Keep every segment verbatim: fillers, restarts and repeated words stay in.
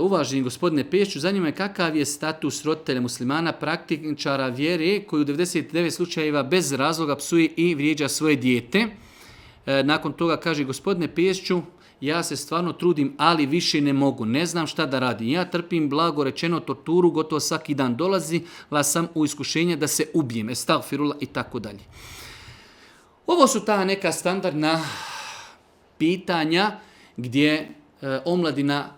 uvaženi gospodine Pešću, zanima je kakav je status roditelja muslimana, praktičara vjere koji u devedeset devet slučajeva bez razloga psuje i vrijeđa svoje dijete. Nakon toga kaže, gospodine Pešću, ja se stvarno trudim, ali više ne mogu. Ne znam šta da radim. Ja trpim, blago rečeno, torturu, gotovo svaki dan dolazi, la sam u iskušenje da se ubijem, estagfirullah i tako dalje. Ovo su ta neka standardna pitanja gdje e, omladina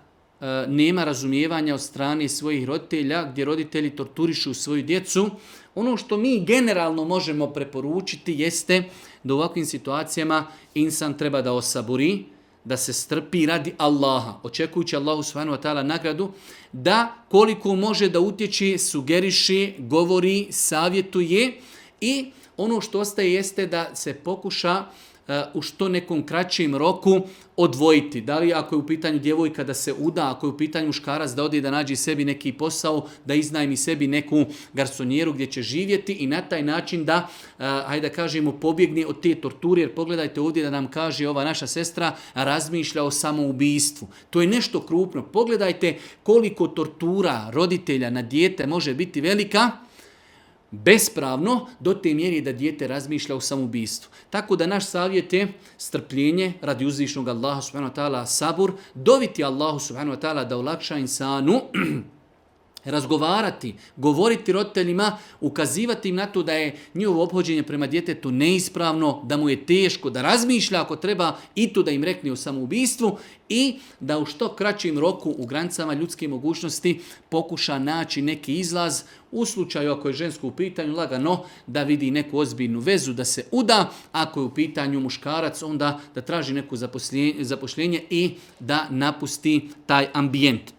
e, nema razumijevanja od strane svojih roditelja, gdje roditelji torturišu svoju djecu. Ono što mi generalno možemo preporučiti jeste da u ovakvim situacijama insan treba da osaburi, da se strpi radi Allaha, očekujući Allahu subhanahu wa ta'ala nagradu, da koliko može da utječe, sugeriše, govori, savjetuje i ono što ostaje jeste da se pokuša uh, u što nekom kraćem roku odvojiti. Da li ako je u pitanju djevojka da se uda, ako je u pitanju muškarac da ode da nađe sebi neki posao, da iznajmi sebi neku garsonjeru gdje će živjeti i na taj način da, uh, hajde da kažemo, pobjegne od te torture. Jer pogledajte ovdje da nam kaže ova naša sestra razmišlja o samoubistvu. To je nešto krupno. Pogledajte koliko tortura roditelja na dijete može biti velika, bespravno, do te mjeri da dijete razmišlja o samoubistvu. Tako da naš savjet je strpljenje radi uzvišnog Allaha subhanahu wa ta'ala, sabur, doviti Allahu subhanahu wa ta'ala da olakša insanu, razgovarati, govoriti roditeljima, ukazivati im na to da je njihovo ophođenje prema djetetu neispravno, da mu je teško, da razmišlja ako treba i to da im rekne o samoubistvu i da u što kraćim roku u granicama ljudske mogućnosti pokuša naći neki izlaz. U slučaju ako je žensko u pitanju, lagano da vidi neku ozbiljnu vezu, da se uda. Ako je u pitanju muškarac, onda da traži neku zapošljenje i da napusti taj ambijent.